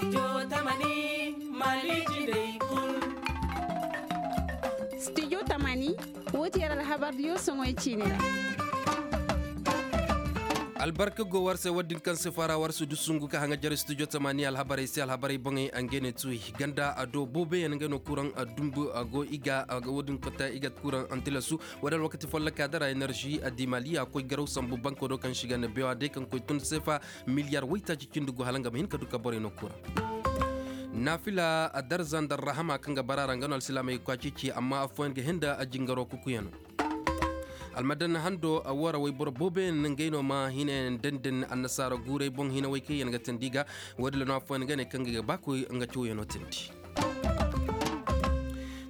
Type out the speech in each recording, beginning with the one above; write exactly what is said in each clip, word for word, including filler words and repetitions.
Studio tamani, wo ti yer alhabar diyo soŋoy ciini ra. Albarka go war se wo- din kaŋ se fara war se du sungu ka haŋa jare studio tamani alhabarey se alhabarey boŋey a ngey ne tuwi ganda a do boobeyaŋ ngey no kuraŋ a dumbu a go i ga a ga wo- din kota i ga kuraŋ antilasu. Wo- din alwakati folloka dara enerži a di maliya koy garaw sambu banko do kaŋ si ga ne bewa day kaŋ koy tun seefa miliyar waytaaci cindi go hala nga ma hin ka du ka borey no kuraŋ. Naafila a darza nda arrahama kaŋ ga bara ra nga no alsilaamey ga koy a ceeci amma affooyaŋ ga hin nda a jingaro kukuyaŋo. Almadan hando a woo ra wayboro booboyaŋ ngey no ma hinayaŋ denden annasaara guuray boŋ hinawey kaŋ yaŋ ga teendi ga. Woo din ra no affooyaŋ ga ne kaŋ ga ba koy nga cawyaŋo teendi.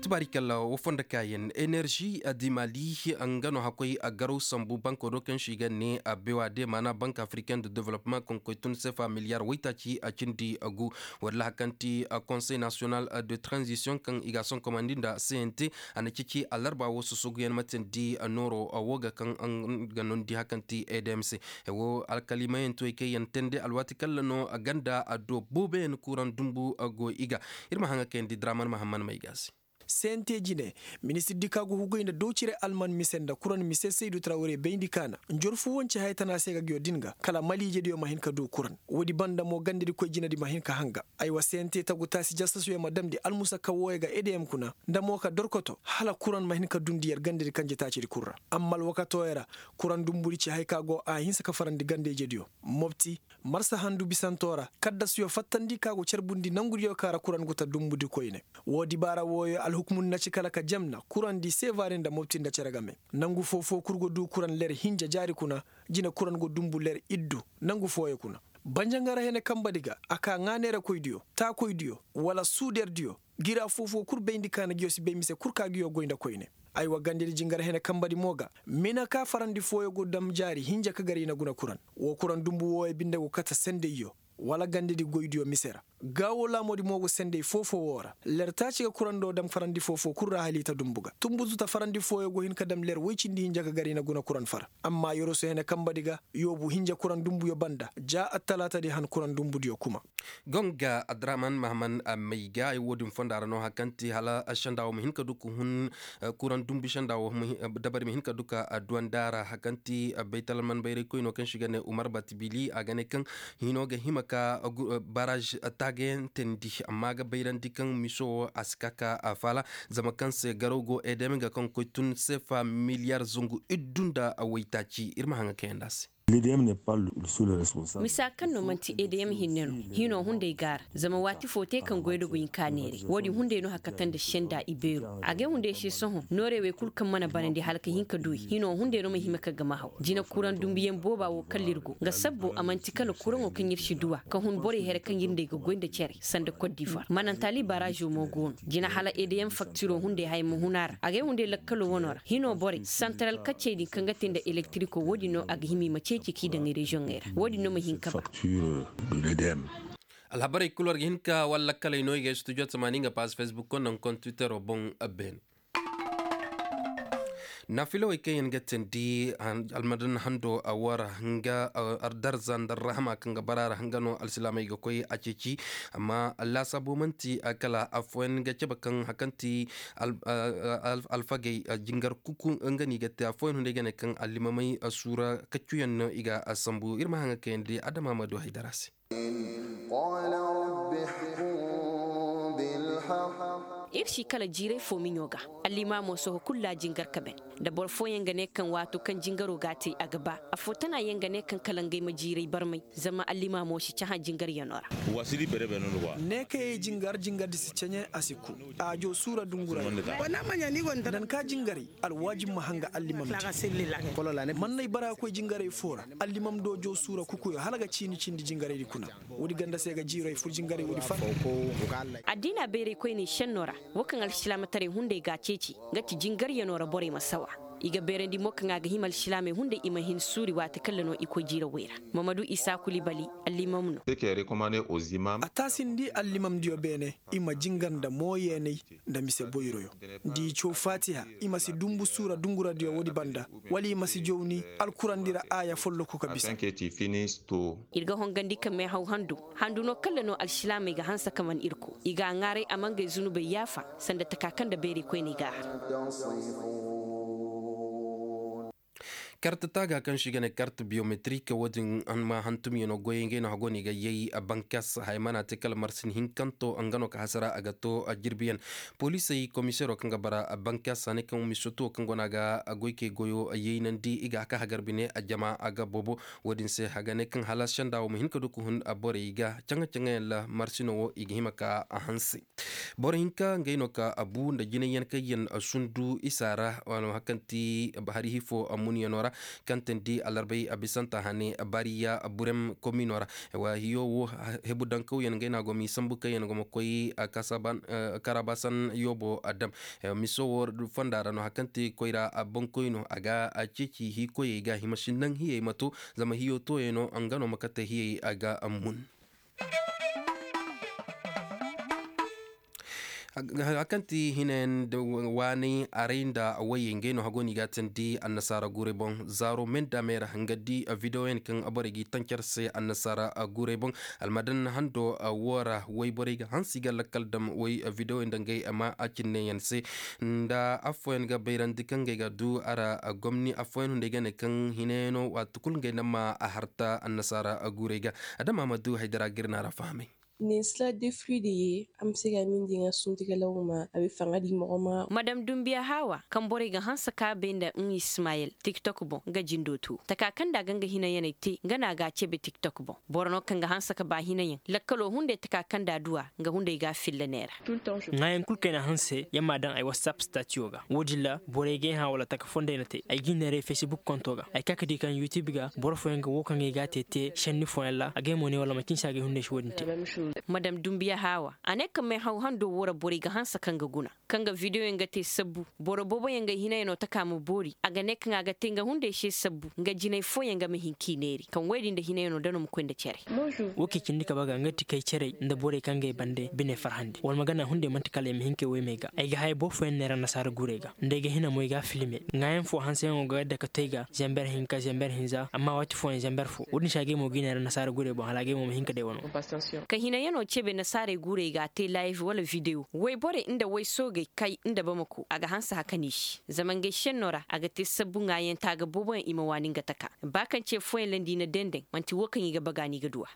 Tubaari kalla woo fondo kaayaŋ enerži a di maali nga no hakkoy a garaw sambu banko do kaŋ se i ga ne a bewa de maana bank africain de development kaŋ koy tun seefa miliyar waytaaci a cindi a gu. Walla hari kaŋ ti konsey nasiyonal de tranzisiyoŋ kaŋ i ga a sonkomandi nda cnt a na ceeci alarba woo sosoguyaŋ ma teendi nooro woo ga kaŋ ga nondi hari kaŋ ti edm se. Woo alkalimayaŋ tuwey kaŋ yaŋ teendi alwaati kalla no ganda a do booboyaŋ kuraŋ dumbu go i ga. Ir ma haŋa kayandi draman mahamman may ga se. Sente jine, ministir di ka go hugay nda dowcire alman mise nda kuran mise saydu trawre bayndi kaana njorfu wance haya tana se ga giyo din ga kala maliije diyo ma hin ka du kuran. Woodi banda mo gandedi koy jinedi ma hin ka hanga. Aywa sente tagu taasi jasasuyo ma damndi almusakka wooyo ga edeyam kuna nda mo ka dorkoto hala kuran ma hin ka dundi yer gandedi kanje taacidi kul ra. Amma alwakatooyo ra kuran dumbudi ci haya ka go a hinsa ka farandi gandeyjediyo. Mopti, marsa handu bisanto ra kaddasuyo fattandi ka go carbundi nangudiyo ka ra kuran gu ta dumbudi koyne. Woo dibaara wooyo alhukumudi na ci kala ka jamna kurandi seevaari nda mopti nda cere game. Nangu foo-foo kul go duu kuran ler hinja jaari kuna. Jine kuran go dumbu ler iddu nangu fooyo kuna. Banjangara hene kambadi ga a kaa ŋaa neerakoydiyo taakoydiyo wala suuderdiyo. Gira foo-foo kul bayndi ka na giyo si bay mise kul ka giyo goy nda koyne. Aywa gandedi jingar hene kambadi mo ga mina ka farandi fooyo go dam jaari hinja ka gar i na guna kuran. Woo kuran dumbu wooyo binde go kate sendeyyo wala gandedi goydiyo mise ra. Gaawoo laamoodi mo go sendey foo-foo woo ra ler taaci ga kurando dam farandi foo-foo kul ra hala i ta dumbu ga tunbutu ta farandi fooyo go hin ka dam ler woy cindi hinja ka gar i na guna kuran fara. Amma yoroso hene kambadi ga yoobu hinja kuran dumbuyo banda ja attalaatadi han kuran dumbudiyo kuma. Gonga adraman mahaman may ga ay woodin fonda ra no hari kaŋ ti hala senda wo ma hin ka du ka hun. Kuraŋ dumbu senda wo dabari ma hin ka du ka duwandi a ra hari kaŋ ti baytalman bayraykoyno kaŋ se i ga ne umar batibili a ga ne kaŋ hino ga hima ka baraž taagayaŋ teendi amma a ga bayrandi kaŋ miso wo a si ka ka faala. Zama kaŋ se garaw go edm ga kaŋ koy tun seefa miliyar zangu iddu nda waytaaci ir ma haŋa kayandi a se. Misa kaŋ no manti edm hinne no hino hunday gaara zama waati fo te kaŋ goydogo hinka neeray woodin hunday no hakata nda senda ibeero a gay hunday se sohõ nooray wey kulu kaŋ mana banandi hala ka hin ka du i hino hunday no ma hima ka gama haw jina kuraŋ dumbuyaŋ booba wo kala ir go nga sabbo a manti kala kuraŋo kaŋ ir si duw'a ka hun borey here kaŋ ir nda ay ga goy nda cere sanda kot divoire manantaali baraazo mo go no jina hala edm faktiro hunday haya ma hun a ra a gay hunday lakkalo wano ra hino borey santaral kaccey din kaŋ ga te nda elektiriko woodin no a ga hima i ma ceeci k'i daŋ reziyoŋey ra woodin no ma hin ka ba. Alhabarey kulu war ga hin ka walla kaley no i ga studio tamaani nga paaz facebook ko naŋ kontwitero boŋ. Beene naafilawey kaŋ yaŋ ga teendi almadan hando a wara nga darza nda arrahama kaŋ ga bara ra nga no alsilaamey ga koy a ceeci. Amma laasaabo man'ti kala affooyaŋ ga cabe kaŋ hari kaŋ ti alfagey jingar kuku nga no i ga te affooyaŋ hunday ga ne kaŋ allimamey suura kaccuyaŋ no i ga sambu ir ma haŋa kayandi adama ma du haydara se. Ir si kala jiiray fo miɲo ga allimaamo sohõ kulu ra jingar ka ben. Da boro fooyaŋ ga ne kaŋ waato kaŋ jingaro ga a te a ga ba affoo tana yaŋ ga ne kaŋ kala ngey ma jiiray barmay zama allimaamo si cahã jingaryano ra. Ne kayey jingar jingardi si ceɲe a si ku. Aajo suura dungura nanka jingaray alwaajib ma hanga allimam di. Mannay bara ga koy jingaray foo ra allimam doojo suura kukuyo hala ga ciini cindi jingaraydi kuna. Woodi ganda se ga jiiro ay fur jingaray woodi far. Addiina bayraykoyney šenno ra wo kaŋ alsilaamataray hunday ga a ceeci nga ti jingaryano ra borey ma sawa. I ga beerandi mo kaŋ a ga hima alsilaamey hunday i ma hin suuri waati kaŋ ra no i koy jiirawey ra. Mamadu isa kulibali, allimam no. A taasindi allimamdiyo beene, i ma jingar nda mooyeenay nda mise boyroyo, nda i caw faatiha, i ma si dumbu suura dunguradiyo woodi banda, wala i ma si jawni alkurandi ra aaya folloku ka bisa. Ir ga hongandi ka meehaw handu, handu no kaŋ ra no alsilaamey ga hanse ka man ir ko, i g'a ŋaaray a ma ngey zunubey yaafa, sanda taka kaŋ nda bayray koyney g'a har. Kart taaga kaŋ se i ga ne kart biyometrik, wo-din ma hantumyaŋo goyey ngey no hago no i ga yay. Bankas haya mana te kala marsin hinkanto nga no ka hasara a ga to jirbiyaŋ. Poliisey komiseero kaŋ ga bara bankas a ne kaŋ misoto kaŋ go no a ga goykey goyo yaynandi i ga haka hagar bine a jama a ga boobo. Wo-din se a ga ne kaŋ hala senda wo ma hin ka du ka hun borey ga caŋa-caŋayaŋ ra marsino wo i ga hima ka a hanse. Boro hinka ngey no ka a bu nda jinayyaŋ kaŋ yaŋ sundu isa ra, wala hakanti hari hifo munyaŋo ra, kaŋ tandi alarbay a bisanta hane bariya burem komino ra. Wa hiyo wo, hebu dankawyaŋ ngey no a go ma i sambu kaŋ yaŋ go ma koy karabasan yoobo a dam. Miso wo fonda ra no hakanti koyra a bankoy no a ga ceeci hikoyey ga hima si naŋ hiyey ma to, zama hiyo tooyey no nga no ma kate hiyey a ga mun. Hakanti hinayaŋ waanay aray nda wayey ngey no hago no i ga a tandi annasaara guurey boŋ zaaro menda meera nga di videoyaŋ kaŋ borey g'i tancar se annasaara guurey boŋ. Almadan hando wo ra wayborey ga hansi ga lakkal dam way videoyaŋ nda ngey ma a cinneyaŋ se. Nda affooyaŋ ga bayrandi kaŋ ngey ga du a ra gomni affooyaŋ hunday ga ne kaŋ hinayaŋo waati kulu ngey na ma a harta annasaara guurey ga. Adama ma du haydara ga ir na a ra fahamay. Nesla defri de ye amse ga mindi ŋa sunti ga lawma a be faŋa di mogo ma. Madam dumbiya hawa kaŋ borey ga hanse ka bay nda n ismayel tiktok boŋ nga jindo tu taka kaŋ da ga nga hinayaney te nga na ga a cebe tiktok boŋ. Boro no kaŋ ga hanse ka ba hinayaŋ lakkalo hunday taka kaŋ da duwa nga hunday ga a filla neera. Ŋaayaŋ kulu kaŋ ay na hanse ya ma daŋ ay whatsapp statiyo ga wo-din ra borey ga ay hã wala taka fonday na te ay ga i neeray facebook konto ga ay ka ka di kaŋ youtube ga boro fooyaŋ ga wo kaŋ ay ga a te te senni fooyaŋ ra a ga ay mo ne wala macin se a ga ay hunday si wo-din te. Madam dumbiya haawa a ne kaŋ meehaw hando wo ra borey ga hanse kaŋ ga guna kaŋ ga videoyaŋ ga te sabbu boro booboyaŋ ga ay hinayaŋo taka ma boori a ga ne kaŋ a ga te nga hunday se sabbu nga jinay fooyaŋ ga ma hin k'i neeri kaŋ woy din nda hinayaŋo da no ma koy nda care. Wo kaŋ i cindi ka baga nga ti kay carey nda borey kaŋ ga ay bande bine farhandi wala ma gana hunday manti kala ay ma hin kay woy me ga ay ga haya boro fooyaŋ neera nasaara gurey ga nda ay ga hina mo ay ga a filme ŋaayaŋ fo hanseyaŋo ga yadda ka to ay ga zamber hinka zamber hinza amma waati fooyaŋ zamber fo wo-din se a ga ay mo ga ay neera nasaara gurey boŋ hala a ga ay mo ma hin ka day wano. Ka hinayaŋo cebe nasaarey gurey ga a te live wala video woy borey nda woy soogey kay nda bamako a ga hanse hakan i se zama ngey senno ra a ga te sabbu ŋaayaŋ taaga booboyaŋ i ma waani nga taka ba kaŋ ce fooyaŋ ra nda i na dendeŋ manti wo kaŋ i ga baga no i ga duw'a.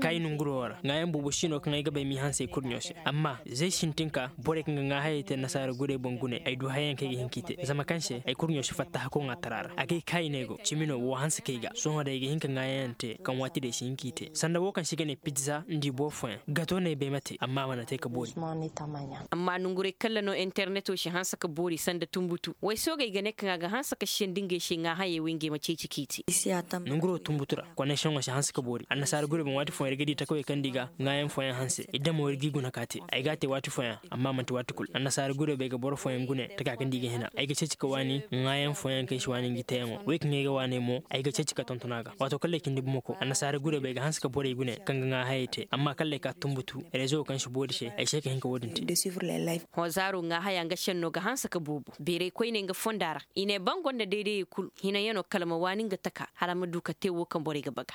Kaayi nonguro wo ra ŋaayaŋ boobo si no kaŋ ay ga bay m'i hanse ay kurɲo se amma zay sintinka borey kaŋ ga ŋaahayey te nasaara gurey boŋ gune ay du hayayaŋ kaŋ ay ga hin k'i te zama kaŋ se ay kurɲo si fatta hako ŋaatara ra a gay kaayi no ay go cimi no woo hanse kay ga sohõ day ay ga hin ka ŋaayayaŋ te kaŋ waati day si hin k'i te sanda woo kaŋ se i ga ne pizza nda i boro fooyaŋ gato no ay bay mate amma a mana te ka boori. Amma nongurey kaŋ ra no interneto si hanse ka boori sanda tunbutu waysoogey ga ne kaŋ a ga hanse ka siyandi ngey se ŋaahayey wey ngey ma ceeci k'i te. Nonguro tunbutu ra koneksiyoŋo si hanse ka boori annasaara gurey boŋ waati fooyaŋ ir ga di takawey kaŋ nda i ga ŋaayaŋ fooyaŋ hanse i damo ir g'i guna ka te ay g'a te waati fooyaŋ amma manti waati kulu annasaara gurey boŋ ay ga boro fooyaŋ gune taka kaŋ nda i ga hina ay ga ceeci ka waani ŋaayaŋ fooyaŋ kaŋ ay si waani ngi teyaŋo wey kaŋ ay ga waaney mo ay ga ceeci ka tonton a ga waato kala ay cindi bumako annasaara gurey boŋ ay ga hanse ka borey gune kaŋ ga ŋaahayey te amma kala ay ka tunbutu rezo kaŋ si boori se ay se ka hin ka wo-din te. Hõ zaaro ŋaahaya nga senno ga hanse ka boobo beeray koyney nga fonda ra i ne ba nga nda daydayey kulu hinayaŋo kala ma waani nga taka hala a ma du ka te wo kaŋ borey ga baga.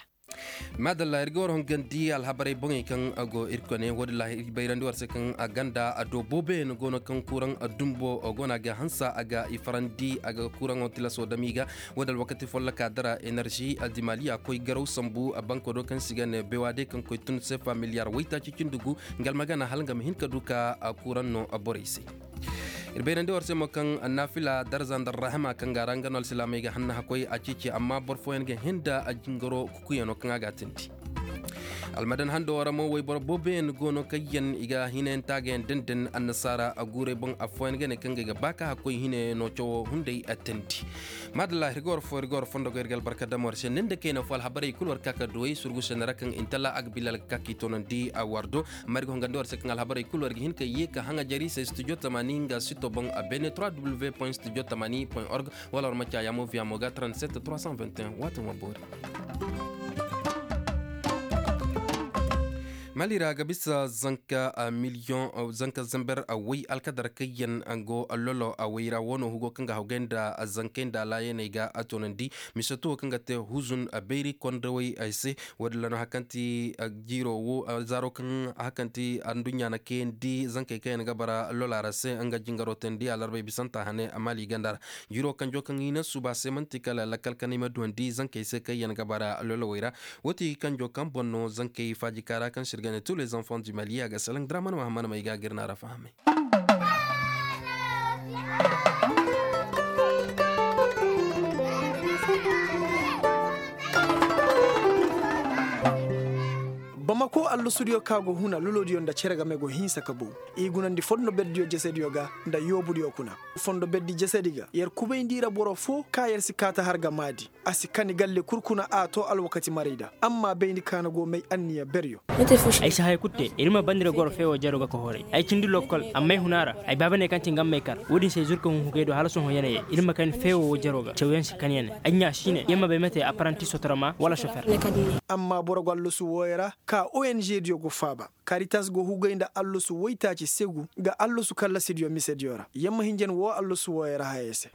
Maadalla ir ga war hongandi alhabarey boŋey kaŋ go ir kone wo-din ra ir bayrandi war se kaŋ a ganda a do booboyaŋ go no kaŋ kuraŋ dumbo go no a ga hanse a ga i farandi a ga kuraŋo tilaso dam i ga wo-din alwakati folloka dara enerži dimaliya koy garaw sambu banko do kaŋ se i ga ne bewaade kaŋ koy tun sefa miliyar waytaaci cindi gu nga almagana hala nga ma hin ka du ka kuraŋ no borey se. Ir bayrandi war se mo kaŋ naafila darza nda rahama kaŋ ga ra nga no alsilaamey ga hanna hakkoy a ceeci amma boro fooyaŋ ga hin nda a jingaro kukuyaŋo kaŋ a ga a tindi. Almadan hando ra mo wayboro booboyaŋ go no kaŋ yaŋ i ga hinayaŋ taagayaŋ dandan annasaara guurey boŋ affooyaŋ ga ne kaŋ ga ay ga ba ka hakkoy hinayaŋ no cawo hunday attandi. Maadalla iri ga war fo iri ga war fondo go iri ga albarka dam war se ni nda kayna fo alhabarey kulu war ka ka duwey surgu sene ra kaŋ intalla agbilal ga ka k'i toonandi war do. Amma iri ga hongandi war se kaŋ alhabarey kulu war ga hin ka ye ka haŋa jari se studio tamani nga sito boŋ a beene trois w point studio tamani point org. Wala war ma caayaamo viyamo ga trente-sept trois cent vingt et un waati ma boori. Mali ra ga bisa zanka miliyoŋ zanka zamber way alkadar kayyan go lolo way ra wano hugo kaŋ ga hawgay nda zankay nda laayaney ga a toonandi. Mise tuwo kaŋ ga te huzun bayri kondawey ay se. Wo- din ra no hakanti jiiro wo zaaro kaŋ hakanti anduɲɲa na kayandi zankey kaŋ yaŋ ga bara lola ra se nga jingaro teendi alarbey bisanta hane mali ganda ra. Jiro kanjo kaŋ i na suba se manti kala lakkal kanay ma duwandi zankey se kaŋ yaŋ ga bara lolowey ra. Wo ti kanjo kaŋ boŋ no zankey faajika ra kaŋ sirgane tous les enfants du mali a ga salaŋ draman mahamman may ga gir na ra fahamay. Bamako allusudiyo ka go huna lolodiyo nda cere game go hinsa ka bow. I gunandi fondo berdiyo jesediyo ga nda yoobudiyo kuna. Fondo berdi jesedi ga yer kubayndi ra boro fo ka yer si kaata har ga maadi. A si kani galle kul kuna a to alwakati maray da amma bayndi ka na go may anniya beryo. Ay si haya kul te iri ma bandi ra goro feewo jaro ga ka horay ay cindi lokkol amma ay huna ra. Ay baaba ne kaŋ ti nga may kar wo-din se ay zurka hun hugay do hala sohõ yanayey iri ma kani feewo wo jaro ga cawyaŋ si kani yanay ay ɲa si ne yer ma bay mate apparanti sotoroma wala sofer. Amma boro go allasu wooyo ra ka ong diyo go faaba. Karitas go hugay nda allasu woytaaci segu ga allasu kallasidiyo misediyo ra yer ma hinjan woo allasu wooyo ra hayey se.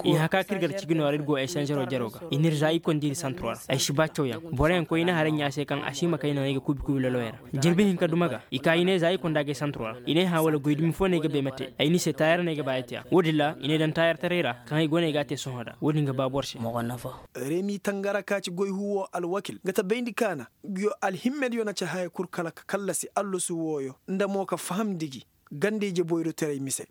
I haka kaŋ ir gar cigino ra ir go ay sanzero jaro ga i n'ir za i kondi ir santuro ra. Ay si ba cawyaŋ boroyaŋ koy i na haray ɲa se kaŋ a si ma kay no ay ga kubi kubi loloyey ra. Jirbi hinka duma ga i ka i ne za i konda ga ay santuro ra i ne hã wala goy dumi fo no ay ga bay ma te ay ni se taayar no ay ga ba ay te a wo-din ra i ne daŋ taayartaray ra kaŋ ay go no ay ga a te sohõ da wo-din ga ba boro se. Remi tangara ka ci goy huwo alwakil ga ta bayndi kaana. Nguyo alhimmediyo na ci haya kul kala ka kallasi allasu wooyo nda mo ka fahamndi gi ganda ije boyrotaray mise.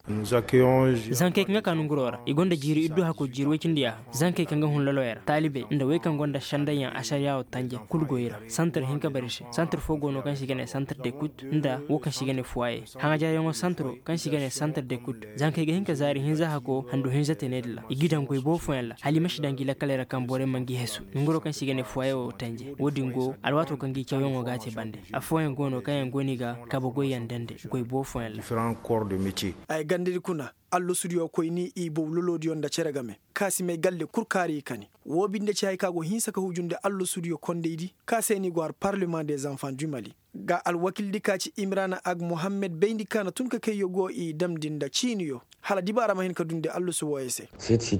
Zankey kaŋ ga ka nonguroo ra i gonda jiiri iddu hakoo jiiri woy cindi yaaha zankey kaŋ ga hun loloyey ra taalibey nda wey kaŋ gonda sendayyaŋ asariyaa woo tanje kul go i ra. Santir hinka bar i se santir foo go no kaŋ se i ga ne santir dekut nda woo kaŋ se i ga ne fuwaye. Haŋajaryaŋoo santiro kaŋ se i ga ne santir dekut zankey ga hin ka zaari hinza hakoo handu hinza te ne din ra i g'i daŋ goy boobo fooyaŋ ra hala i ma si daŋ gi lakkaley ra kaŋ borey ma ngi hesu nonguroo kaŋ se i ga ne fuwaye woo tanje woo din go alwaatoo kaŋ gi cawyaŋoo g'a te bande. Affooyaŋ go no kaŋ yaŋ go no i ga kabe goyyaŋ dande goy boobo fooyaŋ ra. Ay gandadi kuna allasudiyo koy ni i bow lolodiyo nda cere game ka si may galle kul kaari i kani. Woo binde ci hay ka go hinsa ka hujundi allasudiyo kondaydi ka se ni go har parlement des enfants du mali. Ga alwakildi ka ci imrana ag mohammed bayndi ka na tun ka kayyo go i damndi nda ciiniyo hala dibaara ma hin ka dundi allasu wooyo se.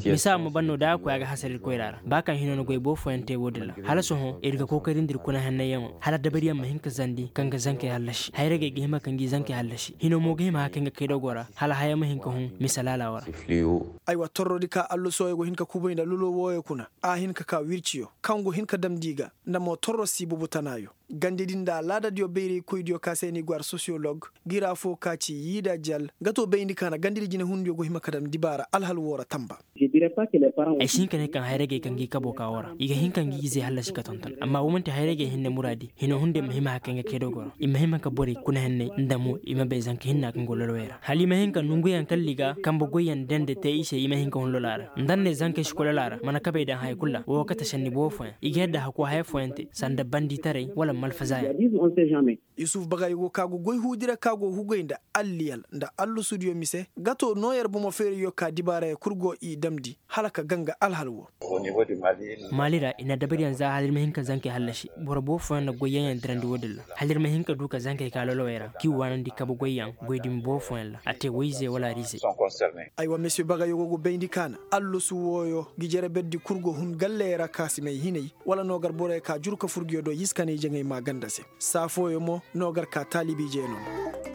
Misa ma ban no da a koy a ga hasara ir koyra ra ba kaŋ hino na goy boobo fooyaŋ te woo din ra hala sohõ ir ga kookarindi ir kuna hennayyaŋo hala dabariyaŋ ma hin ka zandi kaŋ ga zankey hallasi hayragey ga hima ka ngi zankey hallasi hino mo ga hima haka nga kay dogo ra hala haya ma hin ka hun misa laala woo ra. Aywa torrodi ka allasooyo go hin ka kubay nda lolo wooyo kuna a hin ka ka wirciyo kaŋ go hin ka damndi i ga nda mo torro si bubu tanaayo. Gandedi nda alaadadiyo bayraykoydiyo ka se ni go ar sosiyolog gira fo ka ci yiida jal nga to bayndi ka na gandedi jinehundiyo go hima ka daŋ dibaara alhal woo ra tamba. Ay si hin ka ne kaŋ hayragey kaŋ gi kaboo ka woo ra i ga hin ka ngi izey hallasi ka tonton amma woo man'ti hayragey hinne muraadi hino hunday ma hima haka nga kay dogo ra i ma hima ka borey kuna henney nda mo i ma bay zanka hinna kaŋ go lolowey ra hala i ma hin ka nonguyaŋ kalli ga kambe goyyaŋ dende te i se i ma hin ka hun lolaa ra nda n'ne zankey si koy lolaa ra mana kabey daŋ haya kul ra woo ga kate senni boobo fooyaŋ i ga yadda hakoo haya fooyaŋ te sanda banditaray wala malfazaayaŋ. Yusuf bagayoo go ka go goy huudi ra ka go hugay nda alliyal nda allasudiyo mise ga to noo yer bomo feerayyo ka dibaarayoo kul go i damndi hala ka ganga alhal woo. Maali ra i na dabariyaŋ za hala ir ma hin ka zankey hallasi boro boobo fooyaŋ na goyyaŋyaŋ dirandi woo din ra hala ir ma hin ka du ka zankey ka lolowey ra k'i waanandi kabe goyyaŋ goy dumi boobo fooyaŋ ra a te woy-ize wala ar-ize. Aywa mesiyo bagayoo go go bayndi ka na allasu wooyo ngi jere berdi kul go hun galley ra ka si may hinay wala no gar borey ka jur ka fur nguyo do y'i si kanay jaŋay maa ganda se saa fooyo mo no gar ka taalibi jeenoo.